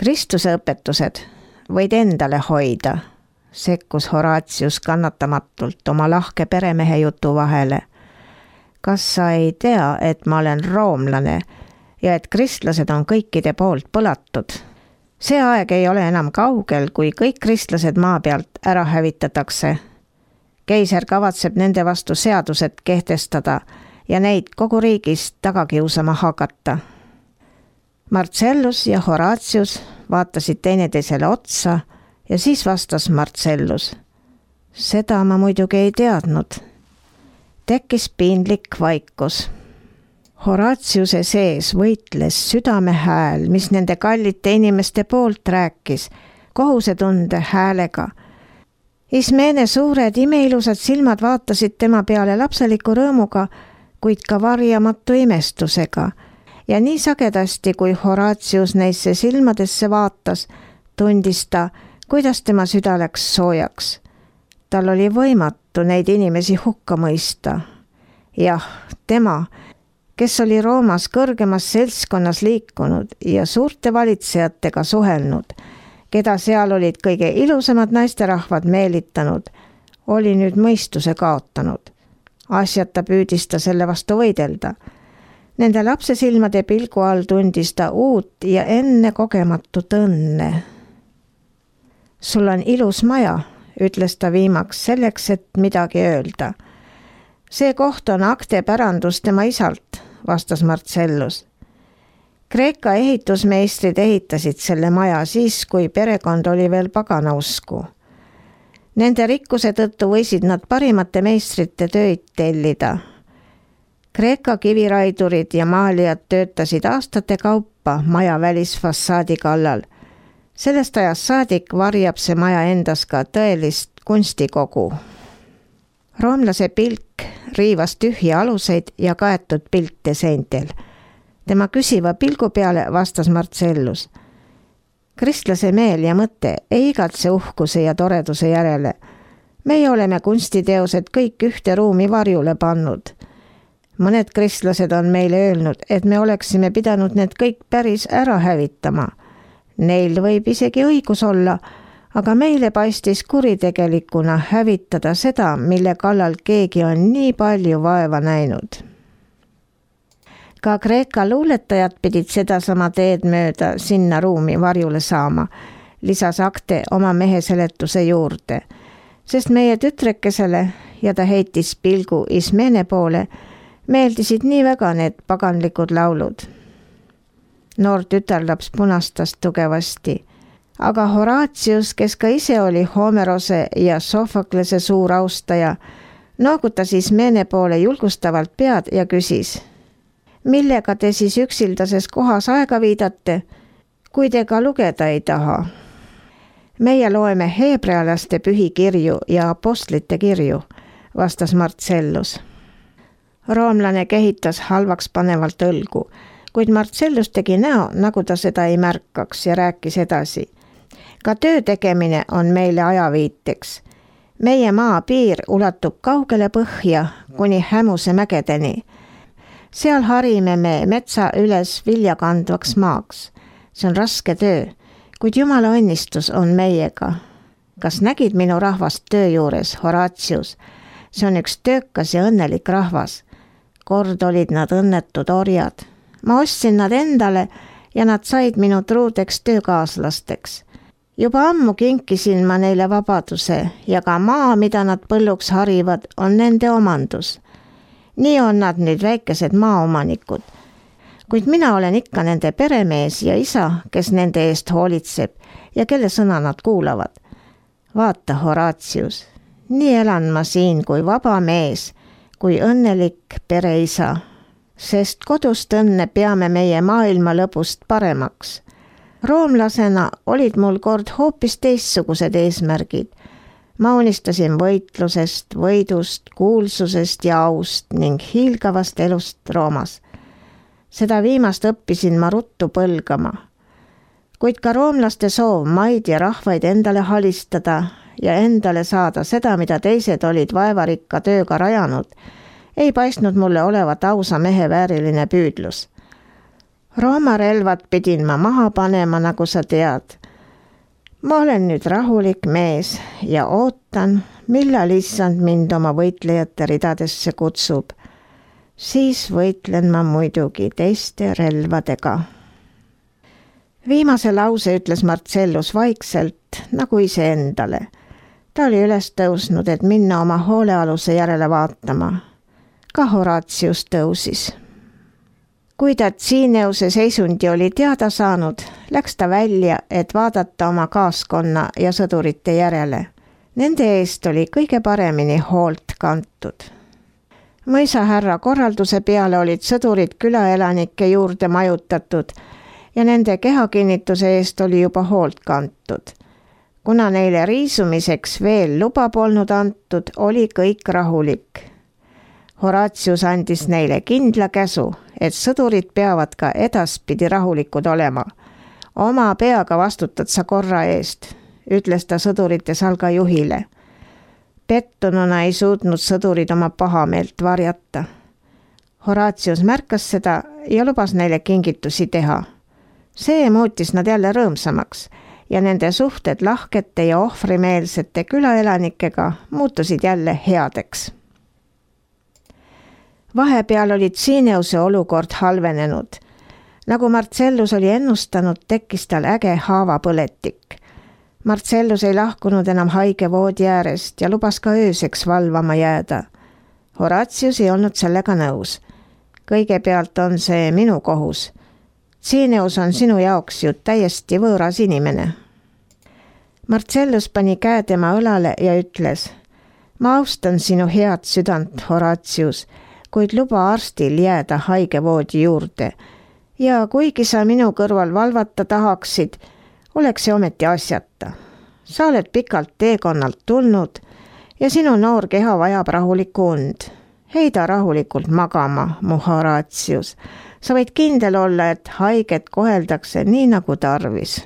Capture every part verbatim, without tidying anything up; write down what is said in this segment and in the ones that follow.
Kristuse õpetused võid endale hoida, sekkus Horatius kannatamatult oma lahke peremehe jutu vahele. Kas sa ei tea, et ma olen roomlane ja et kristlased on kõikide poolt põlatud? See aeg ei ole enam kaugel, kui kõik kristlased maa pealt ära hävitatakse. Keiser kavatseb nende vastu seadused kehtestada ja neid kogu riigist taga kiusama hakata. Marcellus ja Horatius vaatasid teineteisele otsa ja siis vastas Marcellus. Seda ma muidugi ei teadnud. Tekkis piinlik vaikus. Horatiuse sees võitles südame hääl, mis nende kallite inimeste poolt rääkis, kohusetunde häälega. Ismene suured imeilusad silmad vaatasid tema peale lapseliku rõõmuga, kuid ka varjamatu imestusega. Ja nii sagedasti, kui Horatius neisse silmadesse vaatas, tundis ta, kuidas tema süda läks soojaks. Tal oli võimatu neid inimesi hukka mõista. Jah, tema, kes oli Roomas kõrgemas seltskonnas liikunud ja suurte valitsejatega suhelnud, keda seal olid kõige ilusamad naisterahvad meelitanud, oli nüüd mõistuse kaotanud. Asjata püüdis ta selle vastu võidelda. Nende lapsesilmade pilgu all tundis ta uut ja enne kogematut õnne. Sul on ilus maja, ütles ta viimaks selleks, et midagi öelda. See koht on akte pärandus tema isalt, vastas Marcellus. Kreeka ehitusmeistrid ehitasid selle maja siis, kui perekond oli veel paganausku. Nende rikkuse tõttu võisid nad parimate meistrite tööd tellida. Kreeka kiviraidurid ja maalijad töötasid aastate kaupa maja välisfassaadi kallal. Sellest ajast saadik varjab see maja endas ka tõelist kunstikogu. Roomlase pilk riivas tühja aluseid ja kaetud pilte seintel. Tema küsiva pilgu peale vastas Marcellus. Kristlase meel ja mõte ei igatse uhkuse ja toreduse järele. Meie oleme kunstiteosed kõik ühte ruumi varjule pannud. Mõned kristlased on meile öelnud, et me oleksime pidanud need kõik päris ära hävitama. Neil võib isegi õigus olla, aga meile paistis kuritegelikuna hävitada seda, mille kallal keegi on nii palju vaeva näinud. Ka Kreeka luuletajad pidid sedasama teed mööda sinna ruumi varjule saama, lisas akte oma mehe seletuse juurde, sest meie tütrekesele, ja ta heitis pilgu Ismene poole, meeldisid nii väga need paganlikud laulud. Noor tütarlaps punastas tugevasti, aga Horatius, kes ka ise oli Homerose ja Sofoklese suur austaja, noogutas Ismene poole julgustavalt pead ja küsis, millega te siis üksildases kohas aega viidate, kui te ka lugeda ei taha? Meie loeme heebrealaste pühikirju ja apostlite kirju, vastas Marcellus. Roomlane kehitas halvaks panevalt õlgu, kuid Marcellus tegi näo, nagu ta seda ei märkaks ja rääkis edasi. Ka töö tegemine on meile ajaviiteks. Meie maa piir ulatub kaugele põhja kuni Hämuse mägedeni. Seal harime me metsa üles viljakandvaks maaks. See on raske töö, kuid Jumala õnnistus on meiega. Kas nägid minu rahvast töö juures, Horatius? See on üks töökas ja õnnelik rahvas. Kord olid nad õnnetud orjad. Ma ostsin nad endale ja nad said minu truudeks töökaaslasteks. Juba ammu kinkisin ma neile vabaduse ja ka maa, mida nad põlluks harivad, on nende omandus. Nii on nad nüüd väikesed maaomanikud. Kuid mina olen ikka nende peremees ja isa, kes nende eest hoolitseb ja kelle sõna nad kuulavad. Vaata, Horatius, nii elan ma siin kui vaba mees, kui õnnelik pereisa, sest kodust õnne peame meie maailma lõpust paremaks. Roomlasena olid mul kord hoopis teistsugused eesmärgid. Ma unistasin võitlusest, võidust, kuulsusest ja aust ning hiilgavast elust Roomas. Seda viimast õppisin ma ruttu põlgama. Kuid ka roomlaste soov maid ja rahvaid endale halistada ja endale saada seda, mida teised olid vaevarikka tööga rajanud, ei paistnud mulle olevat ausa mehe vääriline püüdlus. Rooma relvad pidin ma maha panema, nagu sa tead. Ma olen nüüd rahulik mees ja ootan, millal issand mind oma võitlejate ridadesse kutsub. Siis võitlen ma muidugi teiste relvadega. Viimase lause ütles Marcellus vaikselt, nagu iseendale. Ta oli üles tõusnud, et minna oma hoolealuse järele vaatama. Ka Horatius tõusis. Kui ta Tsineuse seisundi oli teada saanud, läks ta välja, et vaadata oma kaaskonna ja sõdurite järele. Nende eest oli kõige paremini hoolt kantud. Mõisa härra korralduse peale olid sõdurid külaelanike juurde majutatud ja nende kehakinnituse eest oli juba hoolt kantud. Kuna neile riisumiseks veel luba polnud antud, oli kõik rahulik. Horatius andis neile kindla käsu, et sõdurid peavad ka edaspidi rahulikud olema. Oma peaga vastutad sa korra eest, ütles ta sõdurite salga juhile. Pettununa ei suutnud sõdurid oma pahameelt varjata. Horatius märkas seda ja lubas neile kingitusi teha. See muutis nad jälle rõõmsamaks ja nende suhted lahkete ja ohvrimeelsete külaelanikega muutusid jälle headeks. Vahepeal oli Tsineuse olukord halvenenud. Nagu Marcellus oli ennustanud, tekkis tal äge haavapõletik. Marcellus ei lahkunud enam haige voodi äärest ja lubas ka ööseks valvama jääda. Horatius ei olnud sellega nõus. Kõigepealt on see minu kohus. Tsineus on sinu jaoks ju täiesti võõras inimene. Marcellus pani käe tema õlale ja ütles, ma austan sinu head südant, Horatius, kuid luba arstil jääda haigevoodi juurde. Ja kuigi sa minu kõrval valvata tahaksid, oleks see ometi asjata. Sa oled pikalt teekonnalt tulnud ja sinu noor keha vajab rahulikku und. Heida rahulikult magama, mu Horatius. Sa võid kindel olla, et haiget koheldakse nii nagu tarvis.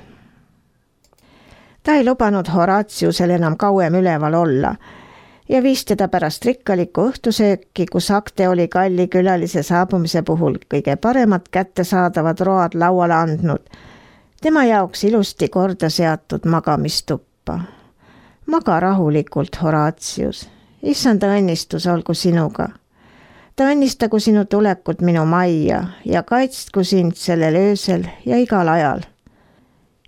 Ta ei lubanud Horatiusel enam kauem üleval olla ja viis teda pärast rikkalikku õhtusööki, kus Akte oli kalli külalise saabumise puhul kõige paremad kättesaadavad road lauale andnud. Tema jaoks ilusti korda seatud magamistuppa. Maga rahulikult, Horatius. Issanda õnnistus olgu sinuga. Ta õnnistagu sinu tulekut minu majja ja kaitstku sind sellel öösel ja igal ajal.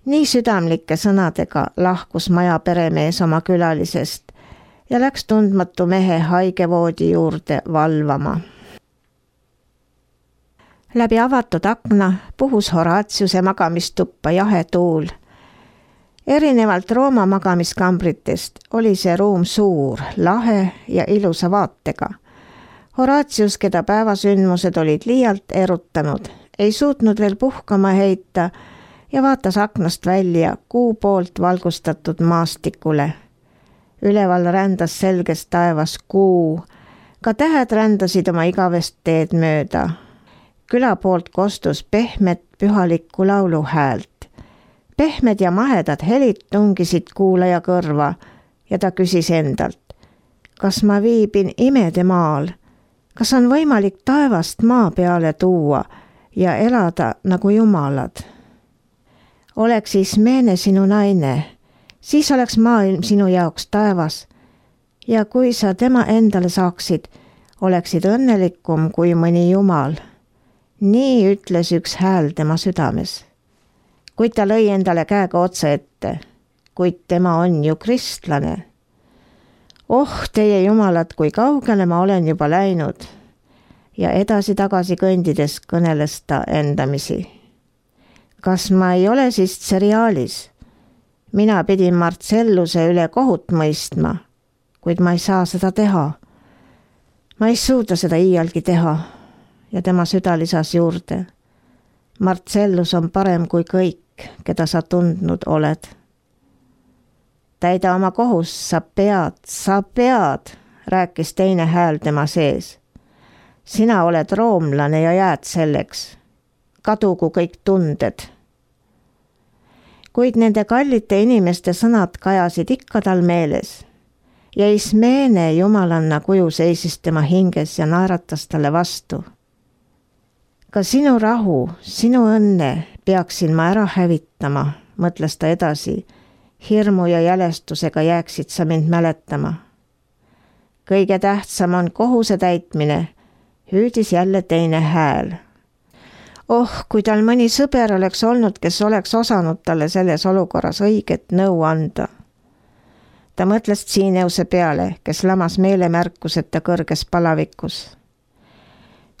Nii südamlike sõnadega lahkus maja peremees oma külalisest ja läks tundmatu mehe haigevoodi juurde valvama. Läbi avatud akna puhus Horatiuse magamistuppa jahe tuul. Erinevalt Rooma magamiskambritest oli see ruum suur, lahe ja ilusa vaatega. Horatius, keda päevasündmused olid liialt erutanud, ei suutnud veel puhkama heita ja vaatas aknast välja kuu poolt valgustatud maastikule. Üleval rändas selges taevas kuu, ka tähed rändasid oma igavest teed mööda. Küla poolt kostus pehmet pühalikku laulu häält. Pehmed ja mahedad helid tungisid kuulaja kõrva ja ta küsis endalt, kas ma viibin imede maal, kas on võimalik taevast maa peale tuua ja elada nagu jumalad. Oleks Ismene sinu naine, siis oleks maailm sinu jaoks taevas ja kui sa tema endale saaksid, oleksid õnnelikum kui mõni jumal. Nii ütles üks hääl tema südames. Kuid ta lõi endale käega otsa ette, kuid tema on ju kristlane. Oh, teie jumalad, kui kaugele ma olen juba läinud. Ja edasi-tagasi kõndides kõneles ta endamisi. Kas ma ei ole siis seriaalis? Mina pidin Marcelluse üle kohut mõistma, kuid ma ei saa seda teha. Ma ei suuda seda iialgi teha ja tema süda lisas juurde. Marcellus on parem kui kõik, keda sa tundnud oled. Täida oma kohus, sa pead, sa pead, rääkis teine hääl tema sees. Sina oled roomlane ja jääd selleks. Kadugu kõik tunded. Kuid nende kallite inimeste sõnad kajasid ikka tal meeles ja Ismene jumalanna kuju seisis tema hinges ja naeratas talle vastu. Ka sinu rahu, sinu õnne peaksin ma ära hävitama, mõtles ta edasi. Hirmu ja jälestusega jääksid sa mind mäletama. Kõige tähtsam on kohuse täitmine, hüüdis jälle teine hääl. Oh, kui tal mõni sõber oleks olnud, kes oleks osanud talle selles olukorras õiget nõu anda. Ta mõtles Tsiineuse peale, kes lamas meelemärkuseta kõrges palavikus.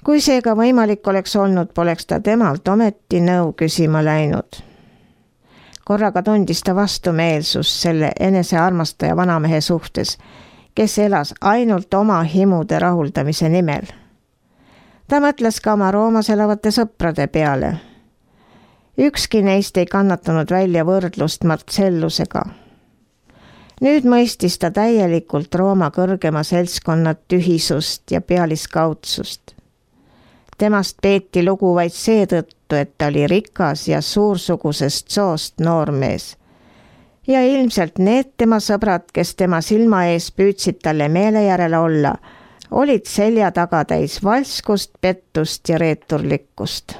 Kui seega võimalik oleks olnud, poleks ta temalt ometi nõu küsima läinud. Korraga tundis ta vastumeelsust selle enesearmastaja vanamehe suhtes, kes elas ainult oma himude rahuldamise nimel. Ta mõtles ka oma Roomas elavate sõprade peale. Ükski neist ei kannatanud välja võrdlust Marcellusega. Nüüd mõistis ta täielikult Rooma kõrgema seltskonna tühisust ja pealiskaudsust. Temast peeti lugu vaid seetõttu, et ta oli rikas ja suursugusest soost noormees. Ja ilmselt need tema sõbrad, kes tema silma ees püüdsid talle meele järele olla, olid selja taga täis valskust, pettust ja reeturlikkust.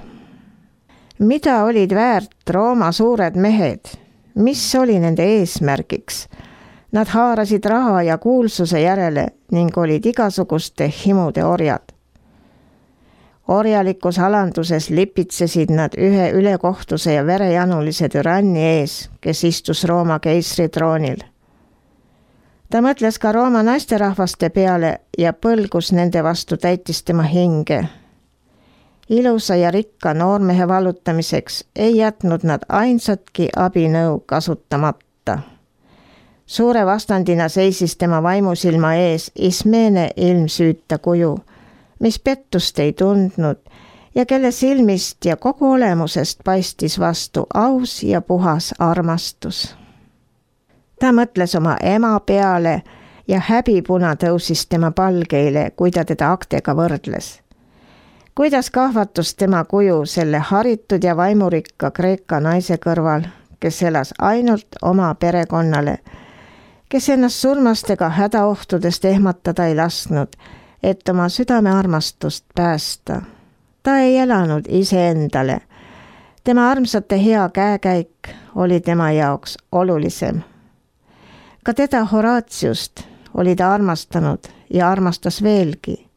Mida olid väärt Rooma suured mehed? Mis oli nende eesmärgiks? Nad haarasid raha ja kuulsuse järele ning olid igasuguste himude orjad. Orjalikus alanduses lipitsesid nad ühe ülekohtuse ja verejanulise türanni ees, kes istus Rooma keisri troonil. Ta mõtles ka Rooma naisterahvaste peale ja põlgus nende vastu täitis tema hinge. Ilusa ja rikka noormehe vallutamiseks ei jätnud nad ainsatki abinõu kasutamata. Suure vastandina seisis tema vaimusilma ees Ismene ilmsüüta kuju, mis pettust ei tundnud ja kelle silmist ja kogu olemusest paistis vastu aus ja puhas armastus. Ta mõtles oma ema peale ja häbipuna tõusis tema palgeile, kui ta teda Aktega võrdles. Kuidas kahvatus tema kuju selle haritud ja vaimurikka Kreeka naise kõrval, kes elas ainult oma perekonnale, kes ennast surmastega hädaohtudest ehmatada ei lasknud, et oma südamearmastust päästa. Ta ei elanud iseendale. Tema armsate hea käekäik oli tema jaoks olulisem. Ka teda Horatiust oli ta armastanud ja armastas veelgi.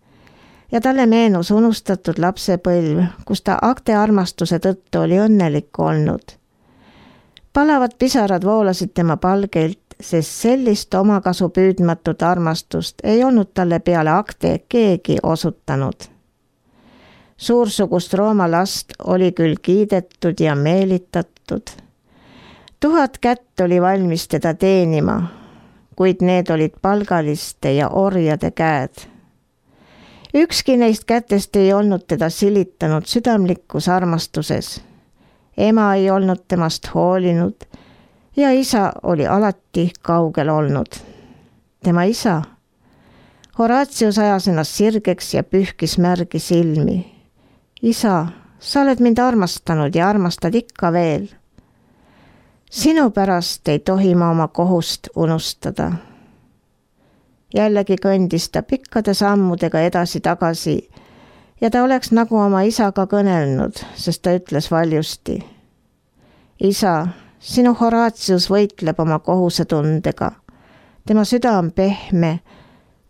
Ja talle meenus unustatud lapsepõlv, kus ta Akte armastuse tõttu oli õnnelik olnud. Palavad pisarad voolasid tema palgeilt, sest sellist omakasu püüdmatut armastust ei olnud talle peale Akte keegi osutanud. Suursugust Rooma last oli küll kiidetud ja meelitatud. Tuhat kätt oli valmis teda teenima, kuid need olid palgaliste ja orjade käed. Ükski neist kätest ei olnud teda silitanud südamlikus armastuses. Ema ei olnud temast hoolinud ja isa oli alati kaugel olnud. Tema isa. Horatius ajas ennast sirgeks ja pühkis märgi silmi. Isa, sa oled mind armastanud ja armastad ikka veel. Sinu pärast ei tohi ma oma kohust unustada. Jällegi kõndis ta pikkade sammudega edasi-tagasi ja ta oleks nagu oma isaga kõnelnud, sest ta ütles valjusti. Isa, sinu Horatius võitleb oma kohusetundega. Tema süda on pehme,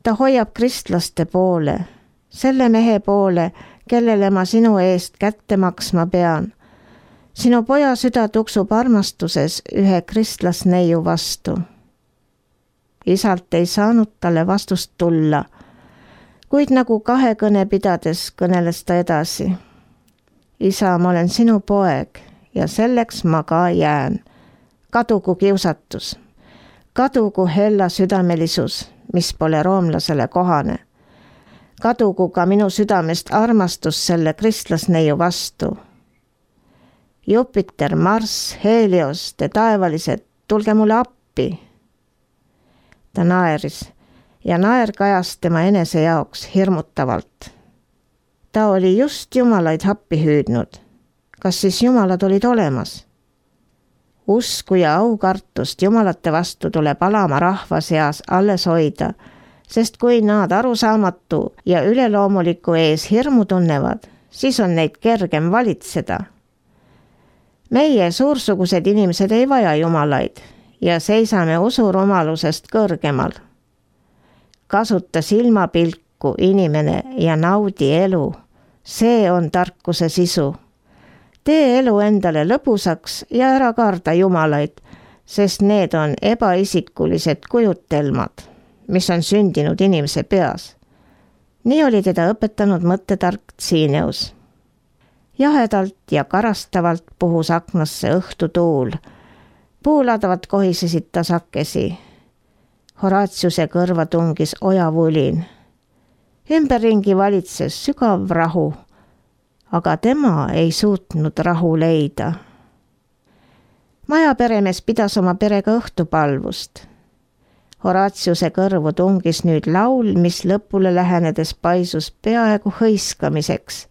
ta hoiab kristlaste poole, selle mehe poole, kellele ma sinu eest kätte maksma pean. Sinu poja süda tuksub armastuses ühe kristlasneiu vastu. Isalt ei saanud talle vastust tulla, kuid nagu kahe kõne pidades kõneles ta edasi. Isa, ma olen sinu poeg ja selleks ma ka jään. Kadugu kiusatus, kadugu hella südamelisus, mis pole roomlasele kohane. Kadugu ka minu südamest armastus selle kristlasneiu vastu. Jupiter, Marss, Helios, te taevalised, tulge mulle appi. Ta naeris ja naer kajas tema enese jaoks hirmutavalt. Ta oli just jumalaid happi hüüdnud. Kas siis jumalad olid olemas? Usku ja aukartust jumalate vastu tuleb alama rahva seas alles hoida, sest kui nad arusaamatu ja üleloomuliku ees hirmu tunnevad, siis on neid kergem valitseda. Meie suursugused inimesed ei vaja jumalaid ja seisame usurumalusest kõrgemal. Kasuta silmapilku inimene ja naudi elu. See on tarkuse sisu. Tee elu endale lõbusaks ja ära karda jumalaid, sest need on ebaisikulised kujutelmad, mis on sündinud inimese peas. Nii oli teda õpetanud mõttetark Tsiineus. Jahedalt ja karastavalt puhus aknasse õhtutuul. Puuladavad kohisesid tasakesi. Horatiuse kõrva tungis ojavulin. Ümberringi valitses sügav rahu, aga tema ei suutnud rahu leida. Majaperemees pidas oma perega õhtupalvust. Horatiuse kõrvu tungis nüüd laul, mis lõpule lähenedes paisus peaaegu hõiskamiseks.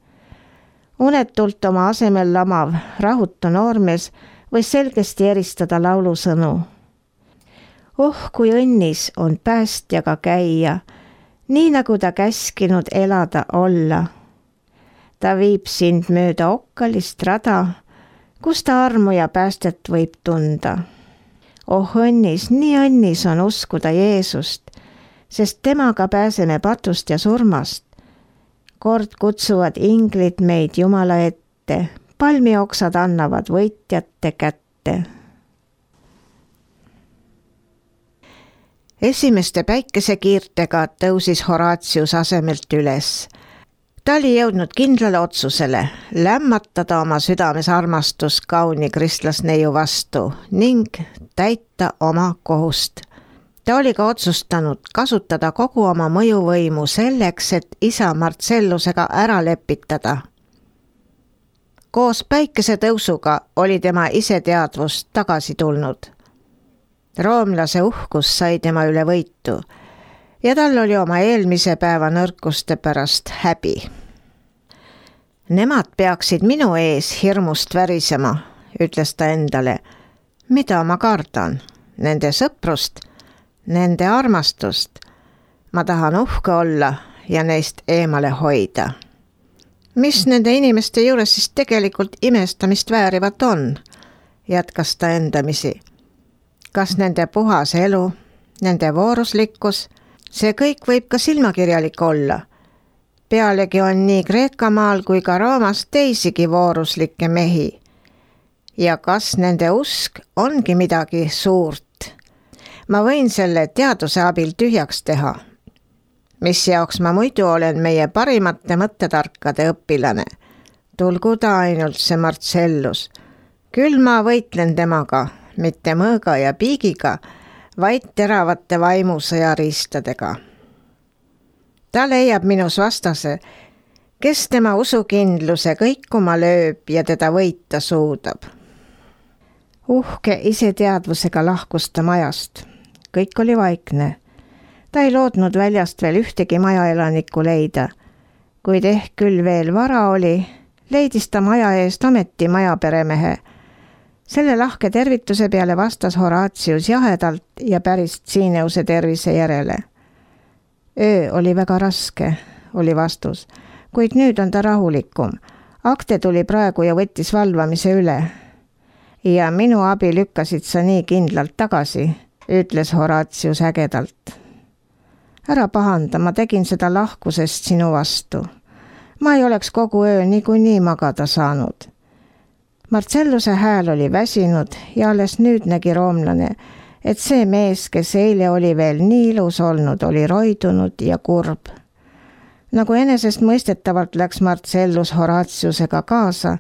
Unetult oma asemel lamav rahutu noormees võis selgesti eristada laulusõnu. Oh, kui õnnis on päästjaga käia, nii nagu ta käskinud elada olla. Ta viib sind mööda okkalist rada, kus ta armu ja päästet võib tunda. Oh õnnis, nii õnnis on uskuda Jeesust, sest temaga pääseme patust ja surmast. Kord kutsuvad inglid meid Jumala ette, palmioksad annavad võitjate kätte. Esimeste päikesekiirtega tõusis Horatius asemelt üles. Ta oli jõudnud kindlale otsusele lämmatada oma südames armastus kauni kristlasneiu vastu ning täita oma kohust. Ta oli ka otsustanud kasutada kogu oma mõjuvõimu selleks, et isa Marcellusega ära lepitada. Koos päikesetõusuga oli tema iseteadvus tagasi tulnud. Roomlase uhkus sai tema üle võitu ja tal oli oma eelmise päeva nõrkuste pärast häbi. Nemad peaksid minu ees hirmust värisema, ütles ta endale. Mida ma kardan? Nende sõprust, nende armastust. Ma tahan uhke olla ja neist eemale hoida. Mis nende inimeste juures siis tegelikult imestamist väärivat on? Jätkas ta endamisi. Kas nende puhas elu, nende vooruslikkus, see kõik võib ka silmakirjalik olla. Pealegi on nii Kreekamaal kui ka Roomas teisigi vooruslikke mehi. Ja kas nende usk ongi midagi suurt? Ma võin selle teaduse abil tühjaks teha. Mis jaoks ma muidu olen meie parimate mõttetarkade õpilane. Tulgu ta ainult see Marcellus. Küll ma võitlen temaga, mitte mõõga ja piigiga, vaid teravate vaimusõjariistadega. Ta leiab minus vastase, kes tema usukindluse kõikuma lööb ja teda võita suudab. Uhke iseteadvusega lahkus ta majast. Kõik oli vaikne. Ta ei loodnud väljast veel ühtegi majaelanikku leida. Kuid ehk küll veel vara oli, leidis ta maja eest ometi majaperemehe. Selle lahke tervituse peale vastas Horatius jahedalt ja päris Tsiineuse tervise järele. Öö oli väga raske, oli vastus, kuid nüüd on ta rahulikum. Akte tuli praegu ja võttis valvamise üle. Ja minu abi lükkasid sa nii kindlalt tagasi, ütles Horatius ägedalt. Ära pahanda, ma tegin seda lahkusest sinu vastu. Ma ei oleks kogu öö niikuinii magada saanud. Marcelluse hääl oli väsinud ja alles nüüd nägi roomlane, et see mees, kes eile oli veel nii ilus olnud, oli roidunud ja kurb. Nagu enesest mõistetavalt läks Marcellus Horatiusega kaasa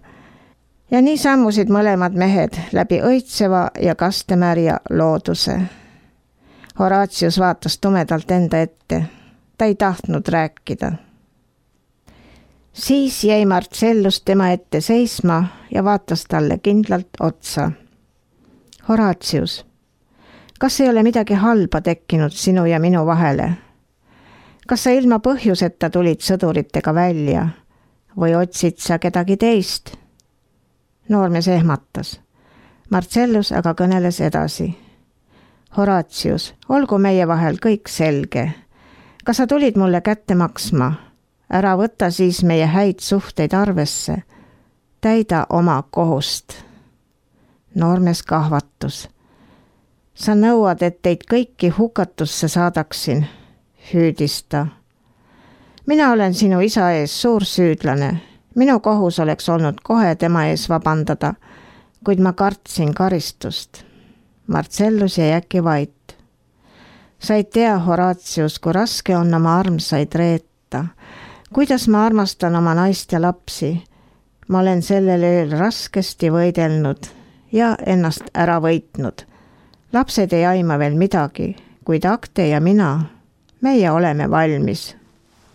ja nii sammusid mõlemad mehed läbi õitseva ja kastemärja looduse. Horatius vaatas tumedalt enda ette. Ta ei tahtnud rääkida. Siis jäi Marcellus tema ette seisma ja vaatas talle kindlalt otsa. Horatius, kas ei ole midagi halba tekkinud sinu ja minu vahele? Kas sa ilma põhjuseta tulid sõduritega välja või otsid sa kedagi teist? Noormees ehmatas. Marcellus aga kõneles edasi. Horatius, olgu meie vahel kõik selge. Kas sa tulid mulle kätte maksma? ära võta siis meie häid suhteid arvesse. Täida oma kohust. Noormees kahvatus. Sa nõuad, et teid kõiki hukatusse saadaksin, hüüdis ta. Mina olen sinu isa ees suur süüdlane. Minu kohus oleks olnud kohe tema ees vabandada, kuid ma kartsin karistust. Marcellus jäi äkki vait. Sa ei tea, Horatius, kui raske on oma armsaid reeta. Kuidas ma armastan oma naist ja lapsi. Ma olen sellel ööl raskesti võidelnud ja ennast ära võitnud. Lapsed ei aima veel midagi, kuid Akte ja mina, meie oleme valmis.